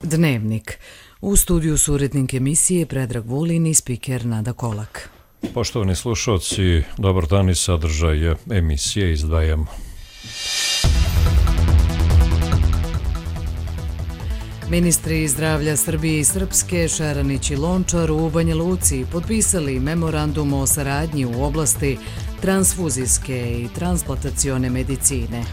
Dnevnik. U studiju su urednik emisije Predrag Vulin i spiker Nada Kolak. Poštovani slušalci, dobar dan i sadržaj emisije izdvajamo. Ministri zdravlja Srbije i Srpske, Šeranić i Lončar u Banja Luci potpisali memorandum o saradnji u oblasti transfuzijske i transplantacione medicine.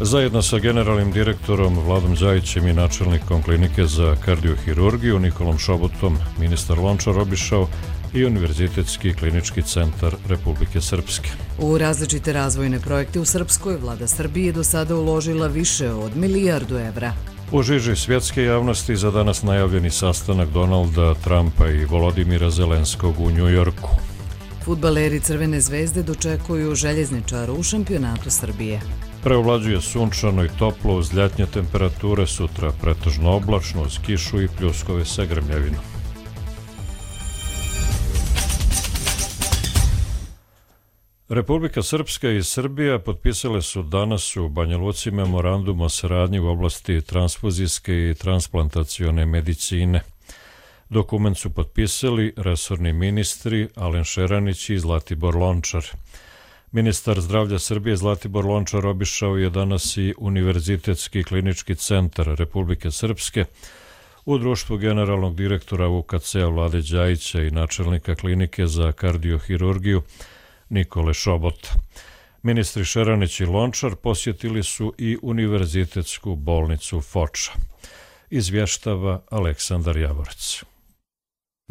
Zajedno sa generalnim direktorom Vladom Đajićem i načelnikom klinike za kardiohirurgiju Nikolom Šobotom, ministar Lončar obišao i Univerzitetski klinički centar Republike Srpske. U različite razvojne projekte u Srpskoj vlada Srbije do sada uložila više od milijardu evra. U žiži svjetske javnosti za danas najavljeni sastanak Donalda Trumpa i Volodimira Zelenskog u Njujorku. Fudbaleri Crvene zvezde dočekuju Željezničara u šampionatu Srbije. Preovlađuje sunčano i toplo uz ljetnje temperature, sutra pretežno oblačno uz kišu i pljuskove sa grmljavinom. Republika Srpska i Srbija potpisale su danas u Banja Luci memorandum o saradnji u oblasti transfuzijske i transplantacione medicine. Dokument su potpisali resorni ministri Alen Šeranić i Zlatibor Lončar. Ministar zdravlja Srbije Zlatibor Lončar obišao je danas i Univerzitetski klinički centar Republike Srpske u društvu generalnog direktora UKC-a Vlade Đajića i načelnika klinike za kardiohirurgiju Nikole Šobota. Ministri Šeranić i Lončar posjetili su i Univerzitetsku bolnicu Foča. Izvještava Aleksandar Javorac.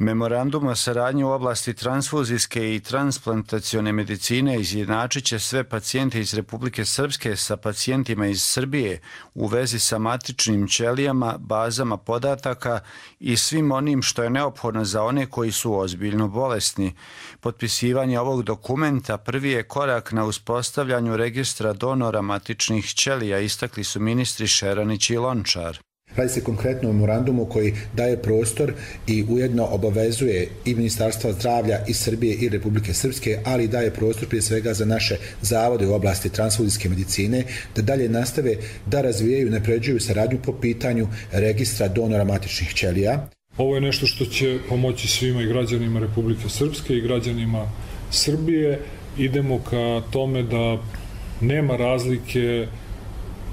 Memorandum o saradnji u oblasti transfuzijske i transplantacione medicine izjednačit će sve pacijente iz Republike Srpske sa pacijentima iz Srbije u vezi sa matičnim ćelijama, bazama podataka i svim onim što je neophodno za one koji su ozbiljno bolesni. Potpisivanje ovog dokumenta prvi je korak na uspostavljanju registra donora matičnih ćelija, istakli su ministri Šeranić i Lončar. Radi se konkretno o memorandumu koji daje prostor i ujedno obavezuje i Ministarstva zdravlja i Srbije i Republike Srpske, ali daje prostor prije svega za naše zavode u oblasti transfuzijske medicine da dalje nastave da razvijaju i napređuju saradnju po pitanju registra donora matičnih ćelija. Ovo je nešto što će pomoći svima i građanima Republike Srpske i građanima Srbije. Idemo ka tome da nema razlike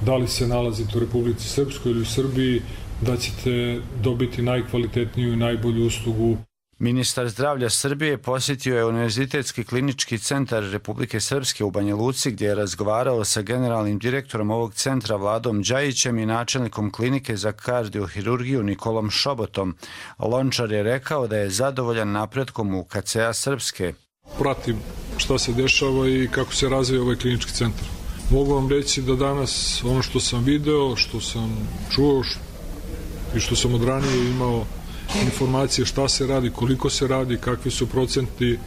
da li se nalazite u Republici Srpskoj ili u Srbiji, da ćete dobiti najkvalitetniju i najbolju uslugu. Ministar zdravlja Srbije posjetio je Univerzitetski klinički centar Republike Srpske u Banja Luci gdje je razgovarao sa generalnim direktorom ovog centra Vladom Đajićem i načelnikom klinike za kardiohirurgiju Nikolom Šobotom. Lončar je rekao da je zadovoljan napretkom UKC-a Srpske. Pratim šta se dešava i kako se razvija ovaj klinički centar. Mogu vam reći da danas ono što sam video, što sam čuo i što sam od ranije imao informacije šta se radi, koliko se radi, kakvi su procenti,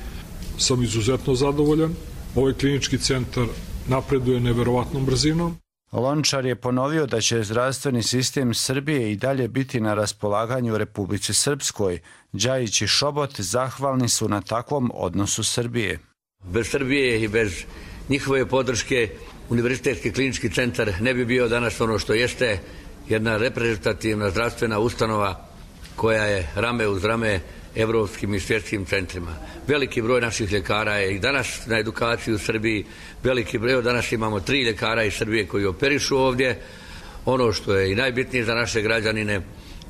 sam izuzetno zadovoljan. Ovaj klinički centar napreduje neverovatnom brzinom. Lončar je ponovio da će zdravstveni sistem Srbije i dalje biti na raspolaganju Republici Srpskoj. Đajić i Šobot zahvalni su na takvom odnosu Srbije. Bez Srbije i bez njihove podrške Univerzitetski klinički centar ne bi bio danas ono što jeste, jedna reprezentativna zdravstvena ustanova koja je rame uz rame evropskim i svjetskim centrima. Veliki broj naših ljekara je i danas na edukaciji u Srbiji, veliki broj, danas imamo 3 ljekara iz Srbije koji operišu ovdje. Ono što je i najbitnije za naše građanine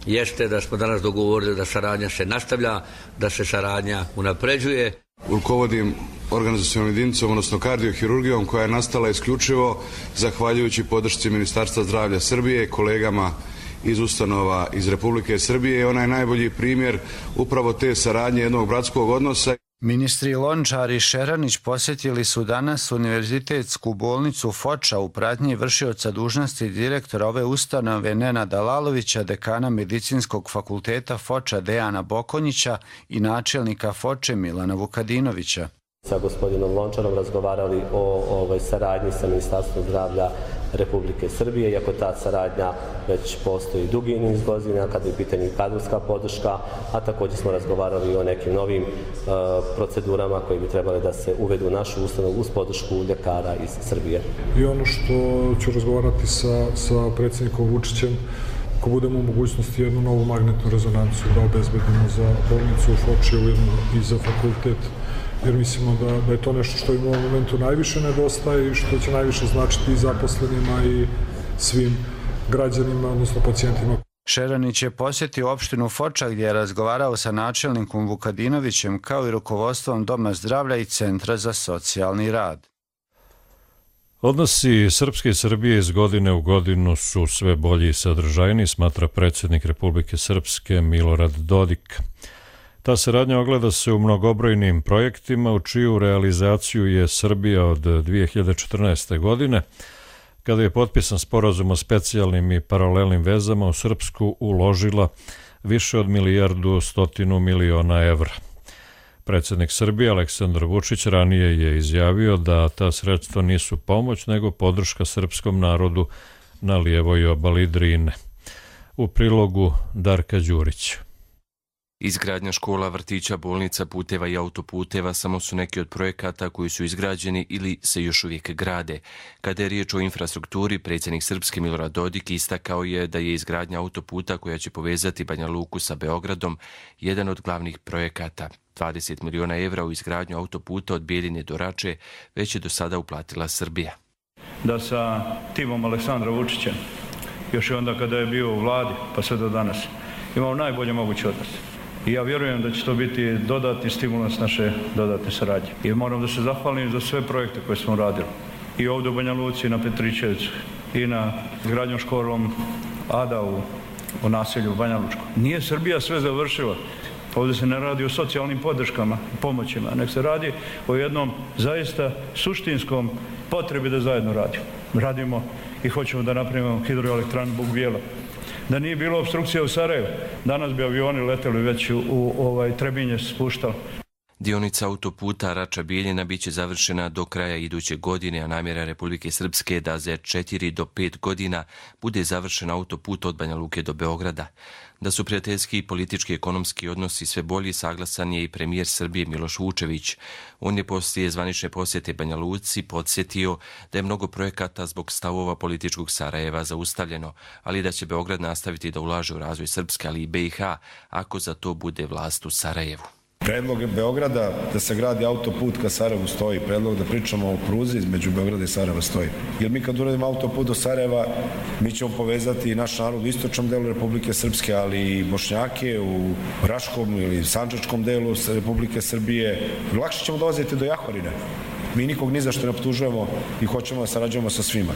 jeste da smo danas dogovorili da saradnja se nastavlja, da se saradnja unapređuje. Rukovodim organizacionom jedinicom, odnosno kardiohirurgijom koja je nastala isključivo zahvaljujući podršci Ministarstva zdravlja Srbije, kolegama iz ustanova iz Republike Srbije. Ona je najbolji primjer upravo te saradnje jednog bratskog odnosa. Ministri Lončar i Šeranić posjetili su danas Univerzitetsku bolnicu Foča u pratnji vršioca dužnosti direktora ove ustanove Nenada Lalovića, dekana Medicinskog fakulteta Foča Dejana Bokonjića i načelnika Foče Milana Vukadinovića. Sa gospodinom Lončarom razgovarali o saradnji sa Ministarstvom zdravlja Republike Srbije, iako ta saradnja već postoji dugi niz godina kada je u pitanju kadrovska podrška, a također smo razgovarali o nekim novim procedurama koje bi trebale da se uvedu u našu ustanovu uz podršku ljekara iz Srbije. I ono što ću razgovarati sa predsjednikom Vučićem ako budemo u mogućnosti jednu novu magnetnu rezonancu da obezbedimo za bolnicu u Foči i za fakultet, jer mislimo da je to nešto što im u ovom momentu najviše nedostaje i što će najviše značiti i zaposlenima i svim građanima, odnosno pacijentima. Šeranić je posjetio opštinu Foča gdje je razgovarao sa načelnikom Vukadinovićem kao i rukovodstvom Doma zdravlja i Centra za socijalni rad. Odnosi Srpske i Srbije iz godine u godinu su sve bolji i sadržajniji, smatra predsjednik Republike Srpske Milorad Dodik. Ta saradnja ogleda se u mnogobrojnim projektima u čiju realizaciju je Srbija od 2014. godine, kada je potpisan sporazum o specijalnim i paralelnim vezama, u Srpsku uložila više od 1,1 milijardu evra. Predsjednik Srbije Aleksandar Vučić ranije je izjavio da ta sredstva nisu pomoć, nego podrška srpskom narodu na lijevoj obali Drine. U prilogu Darka Đurića. Izgradnja škola, vrtića, bolnica, puteva i autoputeva samo su neki od projekata koji su izgrađeni ili se još uvijek grade. Kada je riječ o infrastrukturi, predsjednik Srpske Milorad Dodik istakao je da je izgradnja autoputa koja će povezati Banja Luku sa Beogradom jedan od glavnih projekata. 20 miliona evra u izgradnju autoputa od Bjeljine do Rače već je do sada uplatila Srbija. Da sa timom Aleksandra Vučića, još i onda kada je bio u vladi, pa sve do danas, imao najbolje moguće odnose. I ja vjerujem da će to biti dodatni stimulans naše dodatne saradnje. I moram da se zahvalim za sve projekte koje smo radili. I ovdje u Banja Luci, i na Petričevcu, i na izgradnjom školom Ada u naselju Banja Lučko. Nije Srbija sve završila. Ovdje se ne radi o socijalnim podrškama i pomoćima, nek se radi o jednom zaista suštinskom potrebi da zajedno radimo. Radimo i hoćemo da napravimo hidroelektranu Buk Bijela. Da nije bilo opstrukcija u Sarajevu, danas bi avioni leteli već u Trebinje spuštali. Dionica autoputa Rača-Bijeljina bit će završena do kraja iduće godine, a namjera Republike Srpske da za 4 do 5 godina bude završen autoput od Banja Luke do Beograda. Da su prijateljski i politički ekonomski odnosi sve bolji, saglasan je i premijer Srbije Miloš Vučević. On je poslije zvanične posjete Banja Luci podsjetio da je mnogo projekata zbog stavova političkog Sarajeva zaustavljeno, ali da će Beograd nastaviti da ulaže u razvoj Srpske, ali i BiH, ako za to bude vlast u Sarajevu. Predlog Beograda da se gradi autoput ka Sarajevu stoji, predlog da pričamo o pruzi između Beograda i Sarajeva stoji. Jer mi kad uradimo autoput do Sarajeva, mi ćemo povezati naš narod u istočnom delu Republike Srpske, ali i Bošnjake u Raškom ili Sandžačkom delu Republike Srbije. Lakše ćemo dolaziti do Jahorine. Mi nikog ni za što ne optužujemo i hoćemo da sarađujemo sa svima.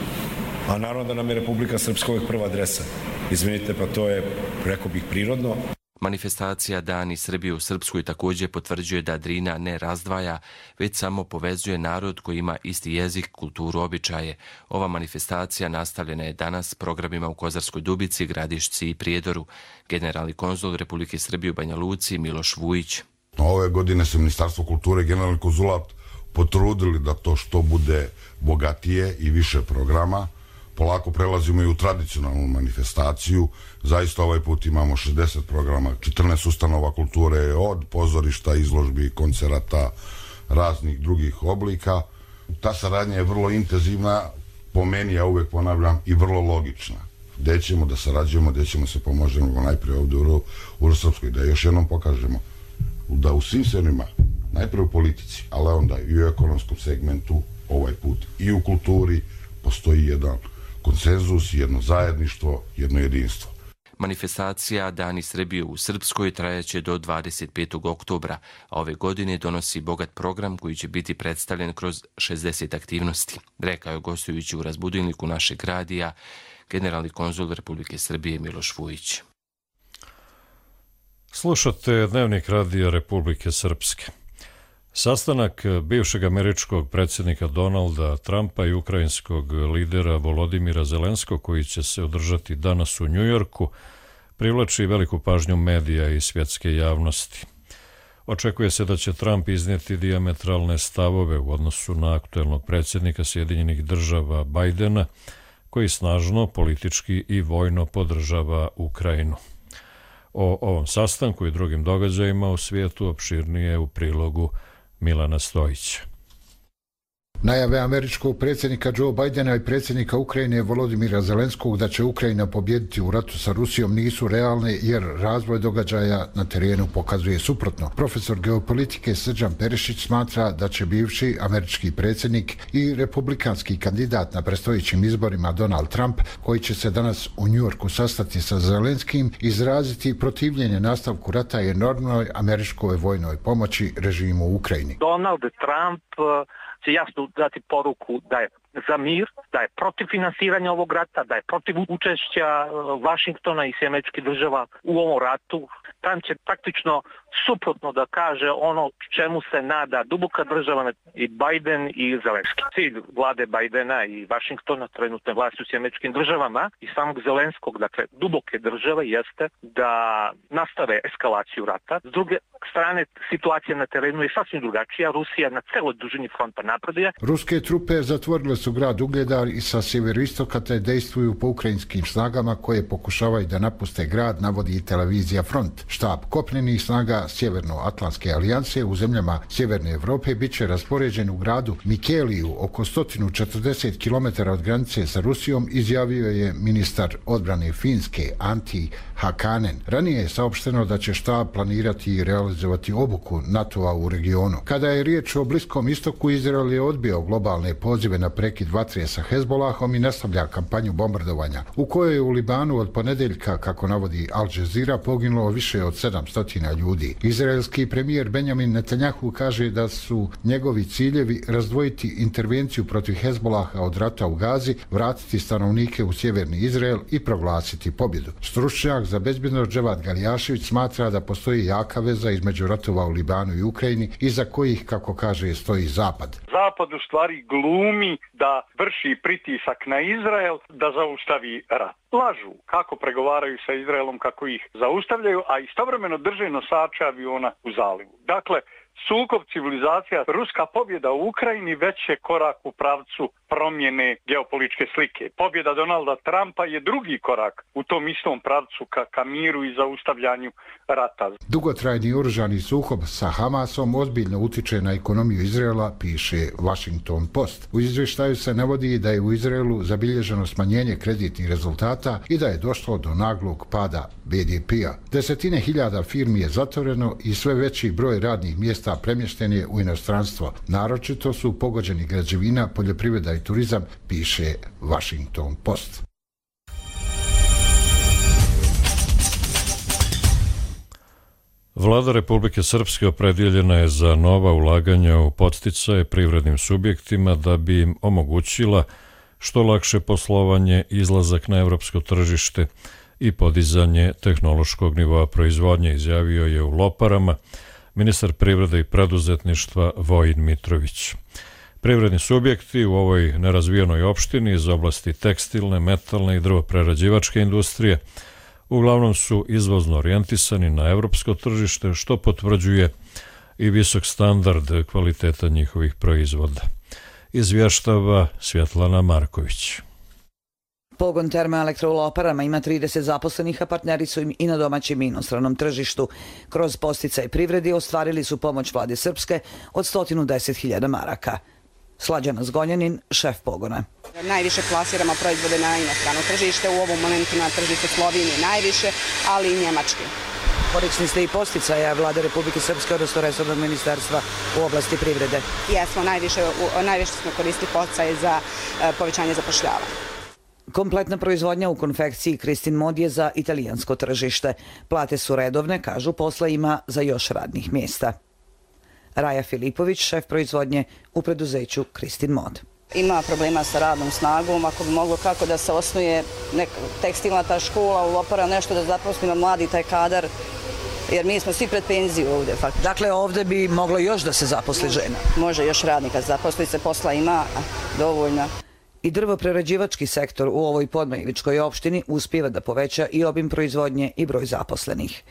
A naravno da nam je Republika Srpska uvijek prva adresa. Izvinite, pa to je, rekao bih, prirodno. Manifestacija Dani Srbije u Srpskoj također potvrđuje da Drina ne razdvaja, već samo povezuje narod koji ima isti jezik, kulturu, običaje. Ova manifestacija nastavljena je danas programima u Kozarskoj Dubici, Gradišci i Prijedoru. Generalni konzul Republike Srbije u Banja Luci Miloš Vujić. Ove godine se Ministarstvo kulture i Generalni konzulat potrudili da to što bude bogatije i više programa. Polako prelazimo i u tradicionalnu manifestaciju. Zaista ovaj put imamo 60 programa, 14 ustanova kulture, od pozorišta, izložbi, koncerata, raznih drugih oblika. Ta saradnja je vrlo intenzivna, po meni, ja uvijek ponavljam, i vrlo logična. Gde ćemo da sarađujemo, gde ćemo se pomožemo najprije ovdje u Srpskoj, da još jednom pokažemo da u svim sferima, najprije u politici, ali onda i u ekonomskom segmentu, ovaj put i u kulturi, postoji jedan konsenzus, jedno zajedništvo, jedno jedinstvo. Manifestacija Dani Srbije u Srpskoj trajaće do 25. oktobra, a ove godine donosi bogat program koji će biti predstavljen kroz 60 aktivnosti, rekao je gostujući u razbudilniku našeg radija generalni konzul Republike Srbije Miloš Vujić. Slušate Dnevnik radija Republike Srpske. Sastanak bivšeg američkog predsjednika Donalda Trumpa i ukrajinskog lidera Volodimira Zelenskog, koji će se održati danas u Njujorku, privlači veliku pažnju medija i svjetske javnosti. Očekuje se da će Trump iznijeti dijametralne stavove u odnosu na aktuelnog predsjednika Sjedinjenih država Bajdena, koji snažno politički i vojno podržava Ukrajinu. O ovom sastanku i drugim događajima u svijetu opširnije u prilogu Milana Stojića. Najave američkog predsjednika Joe Bidena i predsjednika Ukrajine Volodimira Zelenskog da će Ukrajina pobijediti u ratu sa Rusijom nisu realne jer razvoj događaja na terenu pokazuje suprotno. Profesor geopolitike Srđan Perišić smatra da će bivši američki predsjednik i republikanski kandidat na predstojećim izborima Donald Trump, koji će se danas u Njujorku sastati sa Zelenskim, izraziti protivljenje nastavku rata i enormnoj američkoj vojnoj pomoći režimu u Ukrajini. Donald Trump će jasno dati poruku da je za mir, da je protiv finansiranja ovog rata, da je protiv učešća Vašingtona i američkih država u ovom ratu. Trump će praktično suprotno da kaže ono čemu se nada duboka država i Biden i Zelenski. Cilj vlade Bidena i Vašingtona, trenutne vlasti u američkim državama i samog Zelenskog, dakle duboke države, jeste da nastave eskalaciju rata. S druge strane, situacija na terenu je sasvim drugačija. Rusija na celoj dužini fronta napreduje. Ruske trupe zatvorile su grad Ugledar i sa sjeveroistoka te dejstvuju po ukrajinskim snagama koje pokušavaju da napuste grad, navodi televizija Front. Štab kopnenih snaga Sjevernoatlantske alijanse u zemljama Sjeverne Evrope bit će raspoređen u gradu Mikeliju, oko 140 km od granice sa Rusijom, izjavio je ministar odbrane Finske Antti Hakanen. Ranije je saopšteno da će štab planirati i realizovati obuku NATO-a u regionu. Kada je riječ o Bliskom istoku, Izrael je odbio globalne pozive na prekid vatre sa Hezbolahom i nastavlja kampanju bombardovanja, u kojoj je u Libanu od ponedeljka, kako navodi Al Jazeera, poginulo više od 700 ljudi. Izraelski premijer Benjamin Netanjahu kaže da su njegovi ciljevi razdvojiti intervenciju protiv Hezbolaha od rata u Gazi, vratiti stanovnike u sjeverni Izrael i proglasiti pobjedu. Stručnjak za bezbednost Dževad Galjašević smatra da postoji jaka veza između ratova u Libanu i Ukrajini, iza kojih, kako kaže, stoji Zapad. Zapad u stvari glumi da vrši pritisak na Izrael da zaustavi rat. Lažu kako pregovaraju sa Izraelom, kako ih zaustavljaju, a istovremeno drže nosače aviona u zalivu. Dakle, sukob civilizacija, ruska pobjeda u Ukrajini već je korak u pravcu promjene geopolitičke slike. Pobjeda Donalda Trumpa je drugi korak u tom istom pravcu ka miru i zaustavljanju rata. Dugotrajni oružani sukob sa Hamasom ozbiljno utiče na ekonomiju Izraela, piše Washington Post. U izvještaju se navodi da je u Izraelu zabilježeno smanjenje kreditnih rezultata i da je došlo do naglog pada BDP-a. Desetine hiljada firmi je zatvoreno i sve veći broj radnih mjesta premješten je u inostranstvo. Naročito su pogođeni građevina, poljoprivreda i turizam, piše Washington Post. Vlada Republike Srpske opredjeljena je za nova ulaganja u podsticaje privrednim subjektima da bi im omogućila što lakše poslovanje, izlazak na evropsko tržište i podizanje tehnološkog nivoa proizvodnje, izjavio je u Loparama ministar privrede i preduzetništva Vojin Mitrović. Privredni subjekti u ovoj nerazvijenoj opštini iz oblasti tekstilne, metalne i drvoprerađivačke industrije uglavnom su izvozno orijentisani na evropsko tržište, što potvrđuje i visok standard kvaliteta njihovih proizvoda. Izvještava Svjetlana Marković. Pogon Termoelektro u Loparama ima 30 zaposlenih, a partneri su im i na domaćem i inostranom tržištu. Kroz podsticaj privredi ostvarili su pomoć vlade Srpske od 110.000 maraka. Slađana Zgonjanin, šef pogona. Najviše plasiramo proizvode na inostrano tržište, u ovom momentu na tržište Slovenije najviše, ali i Njemačke. Korisni ste i posticaja vlade Republike Srpske, odnosno resornog ministarstva u oblasti privrede. Jesmo, najviše smo koristili posticaje za povećanje zapošljavanja. Kompletna proizvodnja u konfekciji Kristin Mod je za italijansko tržište. Plate su redovne, kažu, posla ima za još radnih mjesta. Raja Filipović, šef proizvodnje u preduzeću Kristin Mod. Ima problema sa radnom snagom, ako bi moglo kako da se osnuje tekstilna ta škola u Lopara, nešto da zaposlimo mladi taj kadar, jer mi smo svi pred penziju ovdje. Dakle, ovdje bi moglo još da se zaposli žena? Može još radnika zaposli se, posla ima dovoljno. I drvoprerađivački sektor u ovoj podmajličkoj opštini uspijeva da poveća i obim proizvodnje i broj zaposlenih.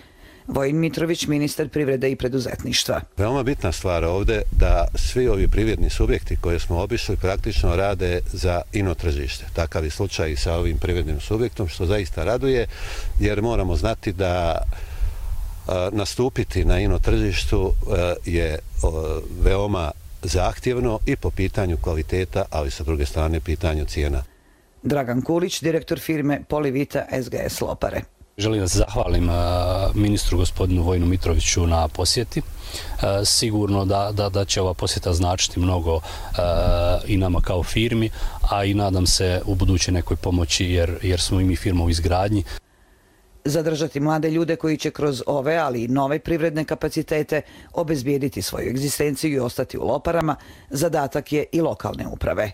Vojin Mitrović, ministar privrede i preduzetništva. Veoma bitna stvar ovdje da svi ovi privredni subjekti koje smo obišli praktično rade za inotržište. Takav je slučaj i sa ovim privrednim subjektom, što zaista raduje, jer moramo znati da nastupiti na inotržištu je veoma zahtjevno i po pitanju kvaliteta, ali sa druge strane pitanju cijena. Dragan Kulić, direktor firme Polivita SGS Lopare. Želim da se zahvalim ministru gospodinu Vojinu Mitroviću na posjeti. Sigurno da će ova posjeta značiti mnogo i nama kao firmi, a i nadam se u buduće nekoj pomoći jer smo i mi firma u izgradnji. Zadržati mlade ljude koji će kroz ove, ali i nove privredne kapacitete obezbijediti svoju egzistenciju i ostati u Loparama, zadatak je i lokalne uprave.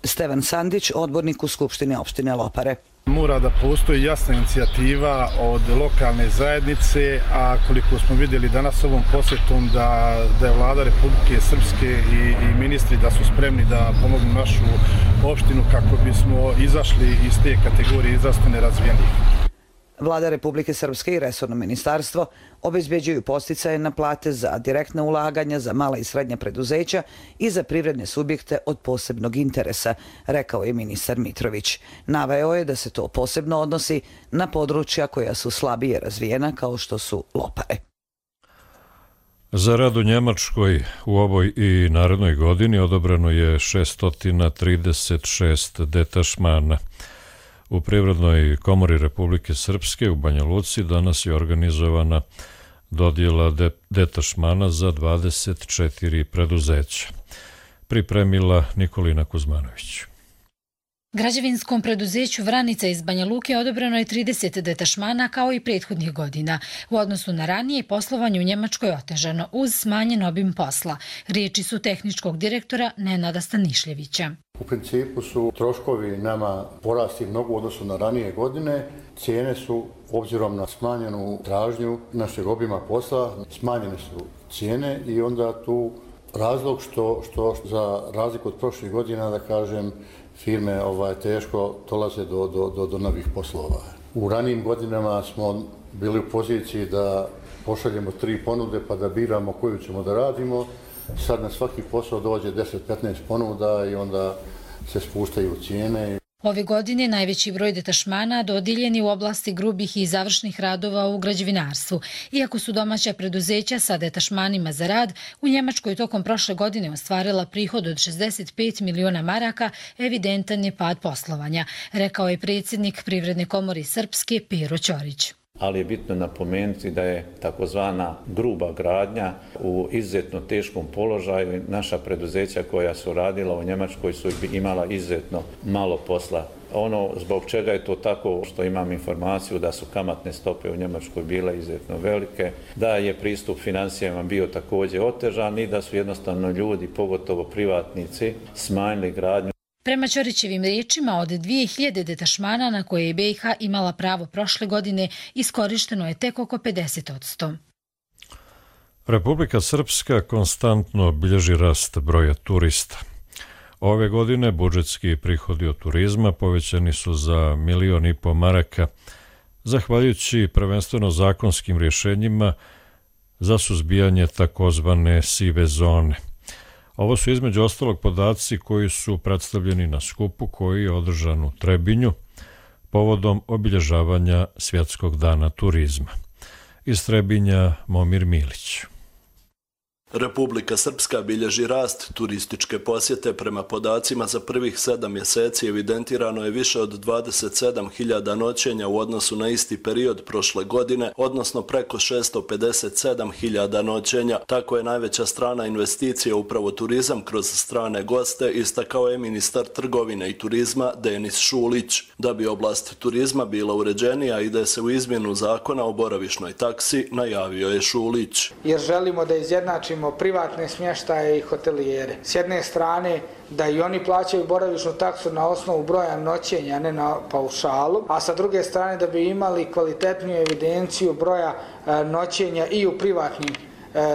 Stevan Sandić, odbornik u Skupštini opštine Lopare. Mora da postoji jasna inicijativa od lokalne zajednice, a koliko smo vidjeli danas ovom posjetom da je vlada Republike Srpske i ministri da su spremni da pomognu našu opštinu kako bismo izašli iz te kategorije izrazito nerazvijenih. Vlada Republike Srpske i resorno ministarstvo obezbeđuju podsticaje na plate za direktna ulaganja za mala i srednja preduzeća i za privredne subjekte od posebnog interesa, rekao je ministar Mitrović. Naveo je da se to posebno odnosi na područja koja su slabije razvijena kao što su Lopare. Za rad u Njemačkoj u ovoj i narednoj godini odobreno je 636 detašmana. U Privrednoj komori Republike Srpske u Banja Luci danas je organizovana dodjela detašmana za 24 preduzeća. Pripremila Nikolina Kuzmanović. Građevinskom preduzeću Vranica iz Banja Luke odobreno je 30 detašmana kao i prethodnih godina. U odnosu na ranije poslovanje u Njemačkoj otežano uz smanjen obim posla. Riječi su tehničkog direktora Nenada Stanišljevića. U principu su troškovi nama porasli mnogo u odnosu na ranije godine. Cijene su, obzirom na smanjenu tražnju našeg obima posla, smanjene su cijene i onda tu razlog što za razliku od prošlih godina, da kažem, firme teško dolaze do novih poslova. U ranijim godinama smo bili u poziciji da pošaljemo 3 ponude pa da biramo koju ćemo da radimo. Sad na svaki posao dođe 10-15 ponuda i onda se spuštaju cijene. Ove godine najveći broj detašmana dodijeljen je u oblasti grubih i završnih radova u građevinarstvu. Iako su domaća preduzeća sa detašmanima za rad, u Njemačkoj tokom prošle godine ostvarila prihod od 65 miliona maraka, evidentan je pad poslovanja, rekao je predsjednik Privredne komore Srpske Pero Ćorić. Ali je bitno napomenuti da je takozvana gruba gradnja u izuzetno teškom položaju. Naša preduzeća koja su radila u Njemačkoj su imala izuzetno malo posla. Ono zbog čega je to tako, što imam informaciju da su kamatne stope u Njemačkoj bile izuzetno velike, da je pristup financijama bio također otežan i da su jednostavno ljudi, pogotovo privatnici, smanjili gradnju. Prema Ćorićevim riječima, od 2000 detašmana na koje je BiH imala pravo prošle godine, iskorišteno je tek oko 50%. Republika Srpska konstantno bilježi rast broja turista. Ove godine budžetski prihodi od turizma povećani su za 1,5 miliona maraka, zahvaljujući prvenstveno zakonskim rješenjima za suzbijanje takozvane sive zone. Ovo su između ostalog podaci koji su predstavljeni na skupu koji je održan u Trebinju povodom obilježavanja Svjetskog dana turizma. Iz Trebinja Momir Milić. Republika Srpska bilježi rast turističke posjete. Prema podacima za prvih 7 mjeseci evidentirano je više od 27.000 noćenja u odnosu na isti period prošle godine, odnosno preko 657.000 noćenja. Tako je najveća strana investicija upravo turizam kroz strane goste, istakao je ministar trgovine i turizma Denis Šulić. Da bi oblast turizma bila uređenija, ide se u izmjenu zakona o boravišnoj taksi, najavio je Šulić. Jer želimo da izjednačimo privatne smještaje i hotelijere. S jedne strane da i oni plaćaju boravišnu taksu na osnovu broja noćenja, ne na paušalu, a sa druge strane da bi imali kvalitetniju evidenciju broja noćenja i u privatnim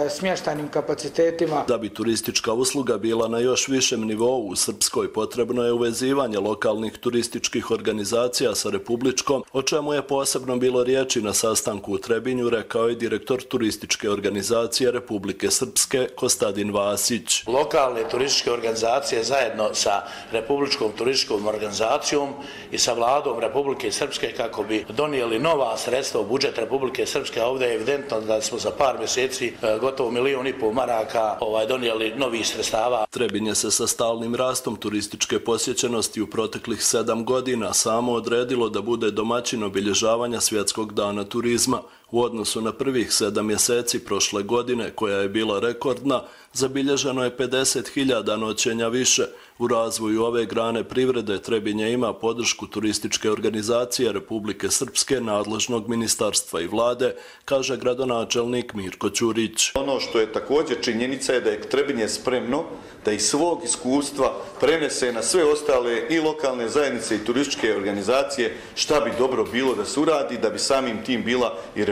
smještajnim kapacitetima. Da bi turistička usluga bila na još višem nivou u Srpskoj, potrebno je uvezivanje lokalnih turističkih organizacija sa republičkom, o čemu je posebno bilo riječi na sastanku u Trebinju, rekao je direktor turističke organizacije Republike Srpske Kostadin Vasić. Lokalne turističke organizacije zajedno sa republičkom turističkom organizacijom i sa vladom Republike Srpske kako bi donijeli nova sredstva u budžet Republike Srpske. Ovdje je evidentno da smo za par mjeseci gotovo 1,5 miliona maraka donijeli novih sredstava. Trebinje se sa stalnim rastom turističke posjećenosti u proteklih 7 godina samo odredilo da bude domaćin obilježavanja Svjetskog dana turizma. U odnosu na prvih 7 mjeseci prošle godine, koja je bila rekordna, zabilježeno je 50.000 noćenja više. U razvoju ove grane privrede Trebinje ima podršku turističke organizacije Republike Srpske, nadležnog ministarstva i vlade, kaže gradonačelnik Mirko Ćurić. Ono što je također činjenica je da je Trebinje spremno da iz svog iskustva prenese na sve ostale i lokalne zajednice i turističke organizacije šta bi dobro bilo da se uradi, da bi samim tim bila i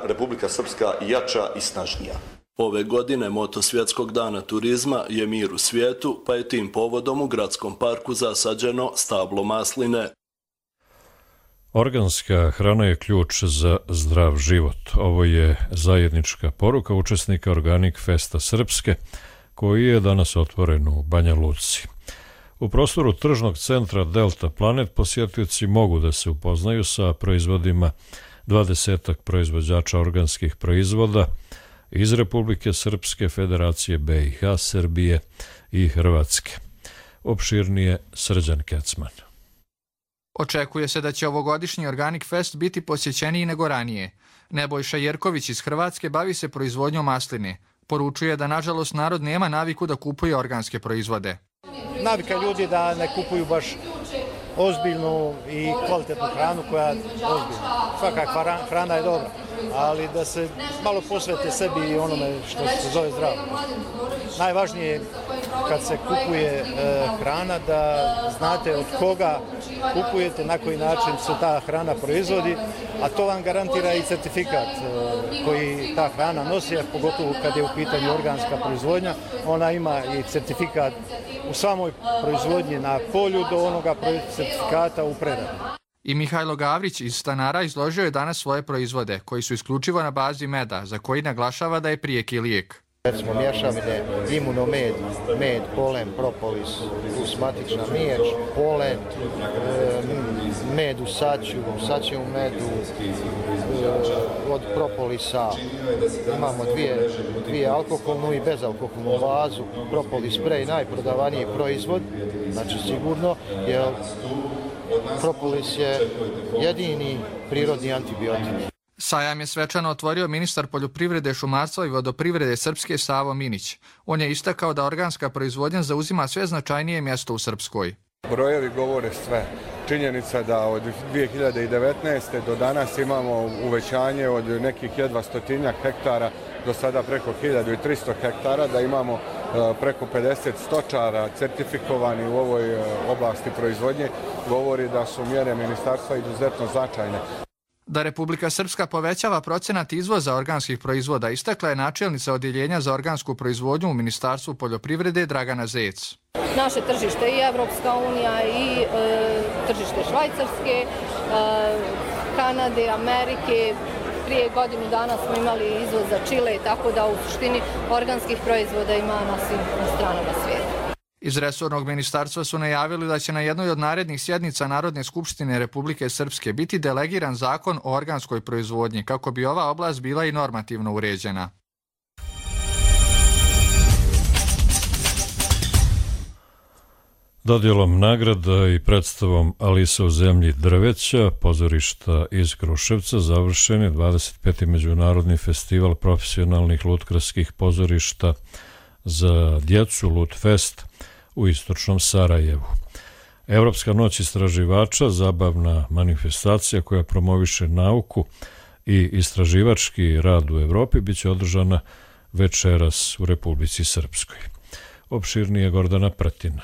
Republika Srpska jača i snažnija. Ove godine moto Svjetskog dana turizma je mir u svijetu, pa je tim povodom u gradskom parku zasađeno stablo masline. Organska hrana je ključ za zdrav život. Ovo je zajednička poruka učesnika Organic Festa Srpske, koji je danas otvoren u Banja Luci. U prostoru tržnog centra Delta Planet posjetioci mogu da se upoznaju sa proizvodima 20 proizvođača organskih proizvoda iz Republike Srpske, Federacije BiH, Srbije i Hrvatske. Opširnije Srđan Kecman. Očekuje se da će ovogodišnji Organic Fest biti posjećeniji nego ranije. Nebojša Jerković iz Hrvatske bavi se proizvodnjom masline. Poručuje da, nažalost, narod nema naviku da kupuje organske proizvode. Navika ljudi da ne kupuju baš ozbiljnu i kvalitetnu hranu koja je ozbiljna. Svaka hrana je dobra, ali da se malo posvete sebi i onome što se zove zdravo. Najvažnije je kad se kupuje hrana da znate od koga kupujete, na koji način se ta hrana proizvodi, a to vam garantira i certifikat koji ta hrana nosi, a pogotovo kad je u pitanju organska proizvodnja. Ona ima i certifikat u samoj proizvodnji na polju do onoga certifikata u preradi. I Mihajlo Gavrić iz Stanara izložio je danas svoje proizvode, koji su isključivo na bazi meda, za koji naglašava da je prijeki lijek. Recimo mješavine, imunomed, med, polen, propolis, plus matična miječ, polen, med u saću, saće u medu, od propolisa imamo dvije alkoholnu i bezalkoholnu bazu, propolis sprej, najprodavaniji proizvod, znači sigurno, jer propolis je jedini prirodni antibiotik. Sajam je svečano otvorio ministar poljoprivrede, šumarstva i vodoprivrede Srpske Savo Minić. On je istakao da organska proizvodnja zauzima sve značajnije mjesto u Srpskoj. Brojevi govore sve. Činjenica da od 2019. do danas imamo uvećanje od nekih jedva 100 hektara do sada preko 1300 hektara, da imamo preko 50 stočara certifikovani u ovoj oblasti proizvodnje, govori da su mjere ministarstva izuzetno značajne. Da Republika Srpska povećava procenat izvoza organskih proizvoda istakla je načelnica Odjeljenja za organsku proizvodnju u Ministarstvu poljoprivrede Dragana Zec. Naše tržište i Evropska unija i tržište Švajcarske, Kanade, Amerike. Prije godinu dana smo imali izvoz za Čile, tako da u suštini organskih proizvoda ima na svim stranama svijeta. Iz resornog ministarstva su najavili da će na jednoj od narednih sjednica Narodne skupštine Republike Srpske biti delegiran zakon o organskoj proizvodnji, kako bi ova oblast bila i normativno uređena. Dodjelom nagrada i predstavom Alisa u zemlji drveća pozorišta iz Kruševca završen je 25. međunarodni festival profesionalnih lutkarskih pozorišta za djecu Lutfest u istočnom Sarajevu. Evropska noć istraživača, zabavna manifestacija koja promoviše nauku i istraživački rad u Evropi, biće održana večeras u Republici Srpskoj. Opširnije Gordana Pratina.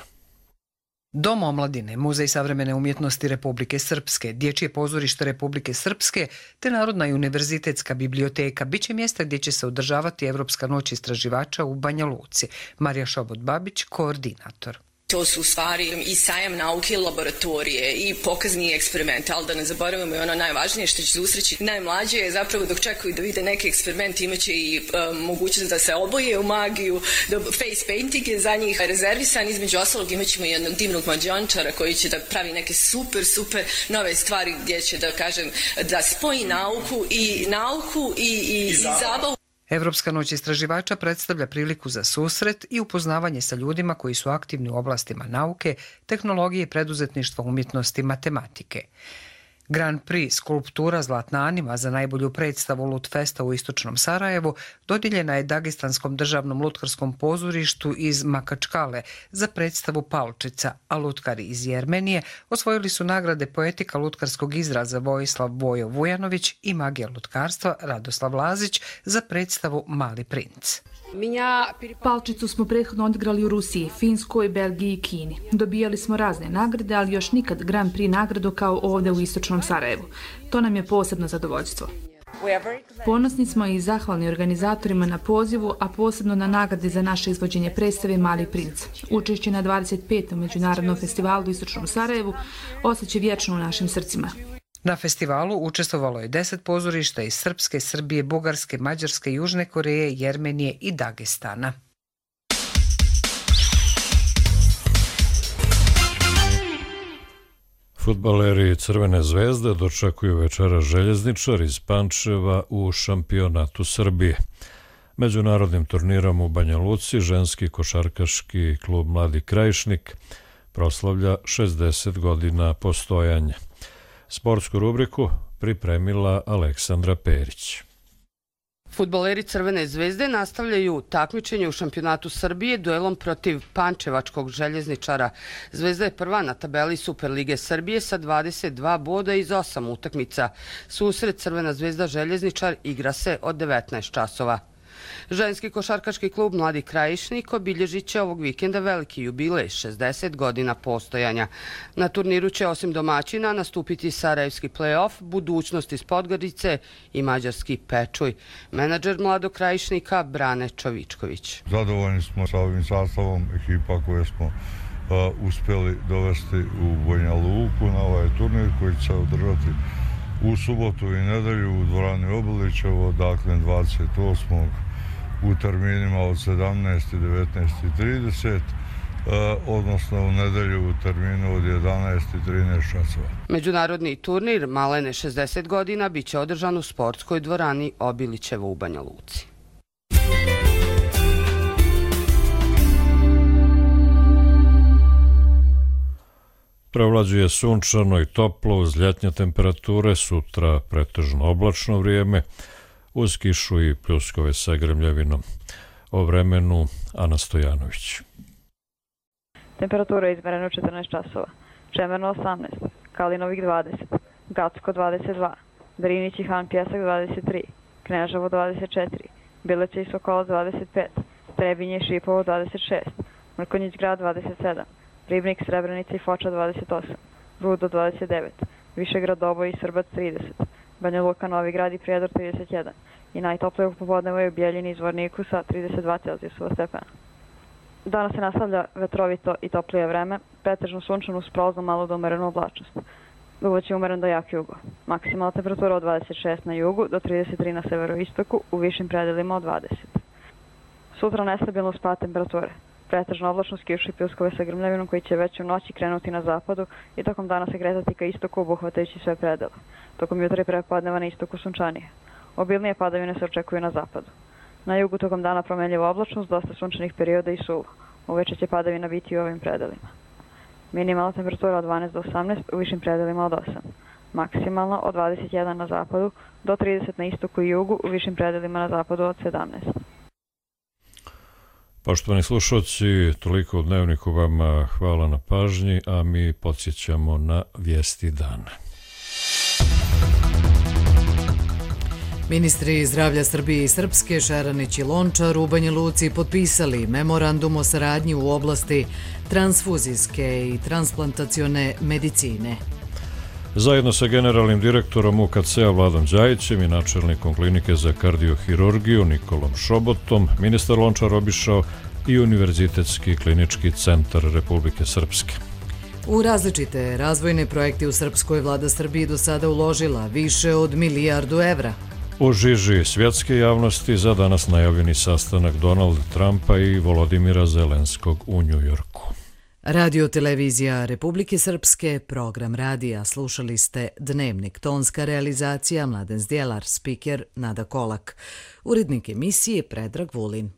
Dom omladine, Muzej savremene umjetnosti Republike Srpske, Dječje pozorište Republike Srpske te Narodna i univerzitetska biblioteka biće mjesta gdje će se održavati Evropska noć istraživača u Banja Luci. Marija Šobot-Babić, koordinator. To su u stvari i sajam nauke, laboratorije i pokazni eksperimenti, ali da ne zaboravimo i ono najvažnije što će susreći najmlađe je zapravo dok čekaju da vide neki eksperiment imaće i mogućnost da se oboje u magiju, face painting je za njih rezervisan, između ostalog imaćemo i jednog divnog mađioničara koji će da pravi neke super nove stvari gdje će da kažem da spoji nauku i zabavu. Evropska noć istraživača predstavlja priliku za susret i upoznavanje sa ljudima koji su aktivni u oblastima nauke, tehnologije, preduzetništva, umjetnosti i matematike. Grand Prix skulptura Zlatna Anima za najbolju predstavu Lutfesta u istočnom Sarajevu dodijeljena je Dagestanskom državnom lutkarskom pozorištu iz Makačkale za predstavu Palčica, a lutkari iz Jermenije osvojili su nagrade poetika lutkarskog izraza Vojislav Vojo Vujanović i magija lutkarstva Radoslav Lazić za predstavu Mali princ. Palčicu smo prethodno odigrali u Rusiji, Finskoj, Belgiji i Kini. Dobijali smo razne nagrade, ali još nikad Grand Prix nagradu kao ovdje u istočnom Sarajevu. To nam je posebno zadovoljstvo. Ponosni smo i zahvalni organizatorima na pozivu, a posebno na nagradi za naše izvođenje predstave Mali princ. Učešće na 25. Međunarodnom festivalu u istočnom Sarajevu ostaće vječno u našim srcima. Na festivalu učestvovalo je 10 pozorišta iz Srpske, Srbije, Bugarske, Mađarske, Južne Koreje, Jermenije i Dagestana. Fudbaleri Crvene zvezde dočekuju večera Željezničar iz Pančeva u šampionatu Srbije. Međunarodnim turnirom u Banja Luci ženski košarkaški klub Mladi Krajišnik proslavlja 60 godina postojanja. Sportsku rubriku pripremila Aleksandra Perić. Fudbaleri Crvene zvezde nastavljaju takmičenje u šampionatu Srbije duelom protiv pančevačkog Željezničara. Zvezda je prva na tabeli Superlige Srbije sa 22 boda iz 8 utakmica. Susret Crvena zvezda Željezničar igra se od 19 časova. Ženski košarkaški klub Mladi Krajišnik obilježit će ovog vikenda veliki jubilej 60 godina postojanja. Na turniru će osim domaćina nastupiti Sarajevski play-off, Budućnost iz Podgorice i mađarski Pečuj. Menadžer Mladog Krajišnika Brane Čovičković. Zadovoljni smo sa ovim sastavom ekipa koje smo uspjeli dovesti u Banja Luku na ovaj turnir koji će se održati u subotu i nedelju u dvorani Obilićevo, dakle 28. u terminima od 17. i 19.30, odnosno u nedelju u terminu od 11. i 13 časova. Međunarodni turnir Malene 60 godina bit će održan u sportskoj dvorani Obilićevo u Banja Luci. Prevlađuje sunčano i toplo uz ljetnje temperature, sutra pretežno oblačno vrijeme, uz kišu i pljuskove sa grmljavinom. O vremenu Ana Stojanović. Temperatura je izmerena u 14 časova. Čemerno 18, Kalinovik 20, Gacko 22, Drinić i Han Pjesak 23, Kneževo 24, Bileće i Sokolac 25, Trebinje i Šipovo 26, Mrkonjić grad 27, Ribnik, Srebrenica i Foča 28, Rudo 29, Višegrad, Doboj i Srbac 30, Banja Luka, Novi Grad i Prijedor 31 i najtoplije u popodnevu je u Bijeljini i Zvorniku sa 32 Celzijusova stepena. Danas se nastavlja vetrovito i toplije vreme, pretežno sunčano uz prolaznu malo do umerenu oblačnost. Duvaće umeren do jak jugo. Maksimalna temperatura od 26 na jugu do 33 na severoistoku, u višim predelima od 20. Sutra nestabilno spad temperature. Pretežno oblačnost, kišu i pljuskove sa grmljavinom koji će već u noći krenuti na zapadu i tokom dana se kretati ka istoku obuhvatajući sve predele. Tokom jutra i prepodneva na istoku sunčanije. Obilnije padavine se očekuju na zapadu. Na jugu tokom dana promenljiva oblačnost, dosta sunčanih perioda i suvo. Uveče će padavina biti u ovim predelima. Minimalna temperatura od 12 do 18, u višim predelima od 8. Maksimalna od 21 na zapadu do 30 na istoku i jugu, u višim predelima na zapadu od 17. Poštovani slušalci, toliko u Dnevniku, vama hvala na pažnji, a mi podsjećamo na vijesti dana. Ministri zdravlja Srbije i Srpske, Šaranić i Lončar, u Banja Luci potpisali memorandum o saradnji u oblasti transfuzijske i transplantacione medicine. Zajedno sa generalnim direktorom UKC-a Vladom Đajićem i načelnikom klinike za kardiohirurgiju Nikolom Šobotom, ministar Lončar obišao i Univerzitetski klinički centar Republike Srpske. U različite razvojne projekte u Srpskoj vlada Srbije do sada uložila više od milijardu evra. U žiži svjetske javnosti za danas najavljeni sastanak Donalda Trumpa i Volodimira Zelenskog u Njujorku. Radio televizija Republike Srpske, program radija, slušali ste Dnevnik, tonska realizacija Mladen Zdjelar, spiker Nada Kolak, urednik emisije Predrag Vulin.